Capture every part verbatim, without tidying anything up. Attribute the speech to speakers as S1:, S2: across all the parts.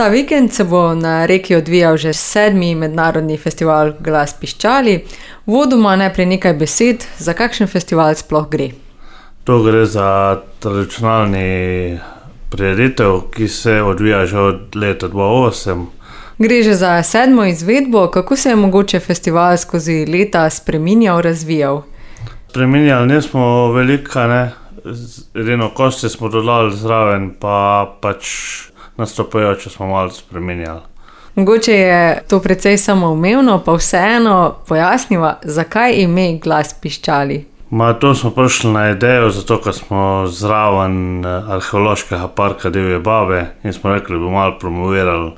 S1: Ta vikend se bo na Reki odvijal že sedmi mednarodni festival Glas piščali. Vodoma najprej nekaj besed, za kakšen festival sploh gre.
S2: To gre za tradicionalni prireditev, ki se odvija že od leta dva tisoč osem.
S1: Gre že za sedmo izvedbo, kako se je mogoče festival skozi leta spreminjal, razvijal?
S2: Spreminjali nismo velika, ne. Edino kosti smo dodali zraven, pa pač nastopajoče smo malo spreminjali.
S1: Mogoče je to precej samoumevno, pa vseeno pojasniva, zakaj ime Glas piščali?
S2: Ma to smo prišli na idejo, zato ker smo zraven arheološkega parka Divje babe in smo rekli, da bomo malo promovirali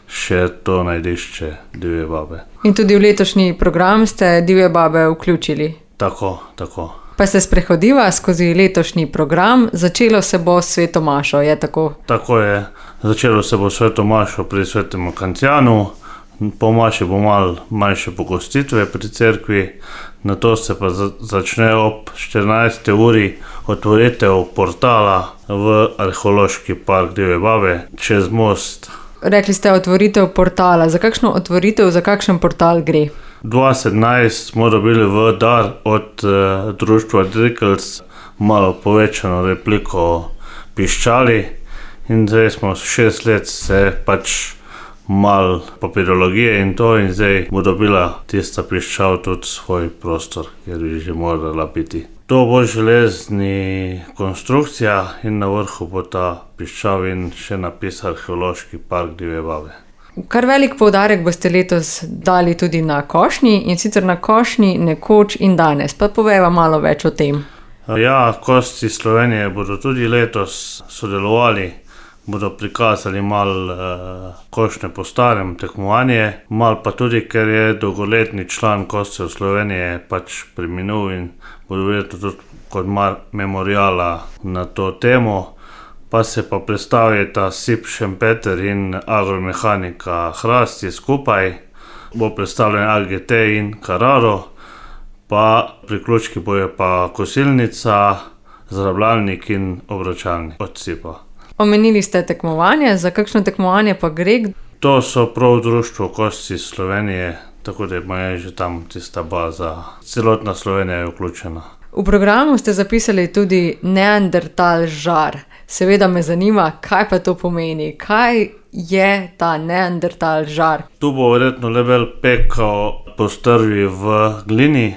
S2: še to najdišče Divje babe.
S1: In tudi v letošnji program ste Divje babe vključili?
S2: Tako, tako.
S1: Pa se sprehodiva skozi letošnji program, začelo se bo s sveto mašo, je tako?
S2: Tako je, začelo se bo s sveto mašo pri svetem Kancianu, po maši bo malo manjše pogostitve pri cerkvi, nato se pa začne ob štirinajsti uri otvoritev portala v arheološki park Divje babe čez most.
S1: Rekli ste otvoritev portala, za kakšno otvoritev, za kakšen portal gre?
S2: dva tisoč sedemnajst smo dobili v dar od uh, društva Drikels malo povečano repliko piščali in zdaj smo šest let se pač malo papirologije in to in zdaj bo dobila tista piščal tudi svoj prostor, kjer bi že morala biti. To bo železni konstrukcija in na vrhu bo ta piščal in še napis Arheološki park Divje babe.
S1: Kar velik poudarek boste letos dali tudi na košnji in sicer na košnji nekoč in danes, pa povejva malo več o tem.
S2: Ja, Kosti Slovenije bodo tudi letos sodelovali, bodo prikazali malo uh, košnje po starem tekmovanje, malo pa tudi, ker je dolgoletni član Kostjev Slovenije pač preminul in bodo verjetno tudi kot memoriala na to temo. Pa se pa predstavita S I P Šempeter in Agromehanika Hrasti skupaj, bo predstavljen A G T in Carraro, pa priključki bojo pa kosilnica, zrabljalnik in obračalnik od S I P-a.
S1: Omenili ste tekmovanje, za kakšno tekmovanje pa gre?
S2: To so prav društvo Kosti Slovenije, tako da je že tam tista baza, celotna Slovenija je vključena.
S1: V programu ste zapisali tudi Neandertal žar. Seveda me zanima, kaj pa to pomeni, kaj je ta Neandertal žar?
S2: Tu bo verjetno Lebel pekal po strvi v glini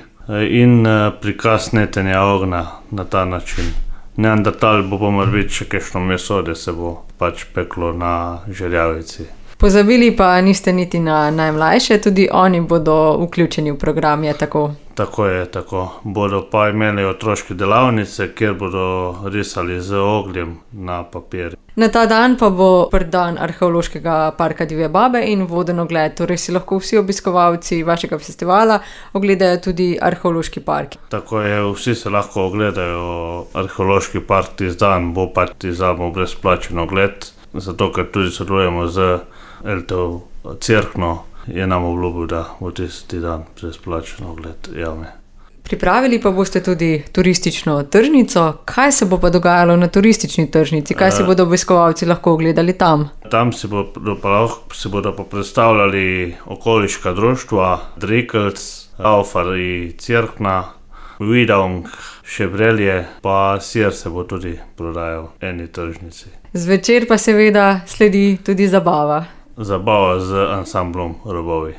S2: in prikaz netenja ognja na ta način. Neandertal bo pa morbiti še kakšno meso, da se bo pač peklo na žerjavici.
S1: Pozabili pa niste niti na najmlajše, tudi oni bodo vključeni v program, je tako?
S2: Tako je, tako. Bodo pa imeli otroške delavnice, kjer bodo risali z ogljem na papir.
S1: Na ta dan pa bo prvi dan Arheološkega parka Divje babe in voden ogled, torej si lahko vsi obiskovalci vašega festivala ogledajo tudi Arheološki park.
S2: Tako je, vsi se lahko ogledajo Arheološki park tisti dan, bo pa tisti dan brezplačen ogled, zato ker tudi sodelujemo z L T O Cerkno, je nam obljubil, da bo tisti dan brezplačen ogled jame.
S1: Pripravili pa boste tudi turistično tržnico. Kaj se bo pa dogajalo na turistični tržnici? Kaj si bodo obiskovalci lahko ogledali tam?
S2: Tam si bodo pa, si bodo pa predstavljali okoliška društva, Drikels, Aufari Cerkna, Vidong, Šebrelje, pa sir se bo tudi prodajal v eni tržnici.
S1: Zvečer pa seveda sledi tudi zabava.
S2: Zabava z ansamblom Robovi.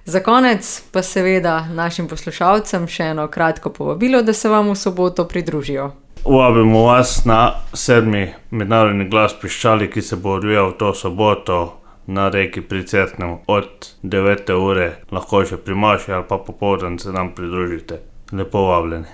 S1: Za konec pa seveda našim poslušalcem še eno kratko povabilo, da se vam v soboto pridružijo.
S2: Vabimo vas na sedmi mednarodni Glas piščali, ki se bo odvijal to soboto na Reki pri Cerknem od devete ure, lahko že pri maši ali pa popoldan se nam pridružite. Lepo vabljeni.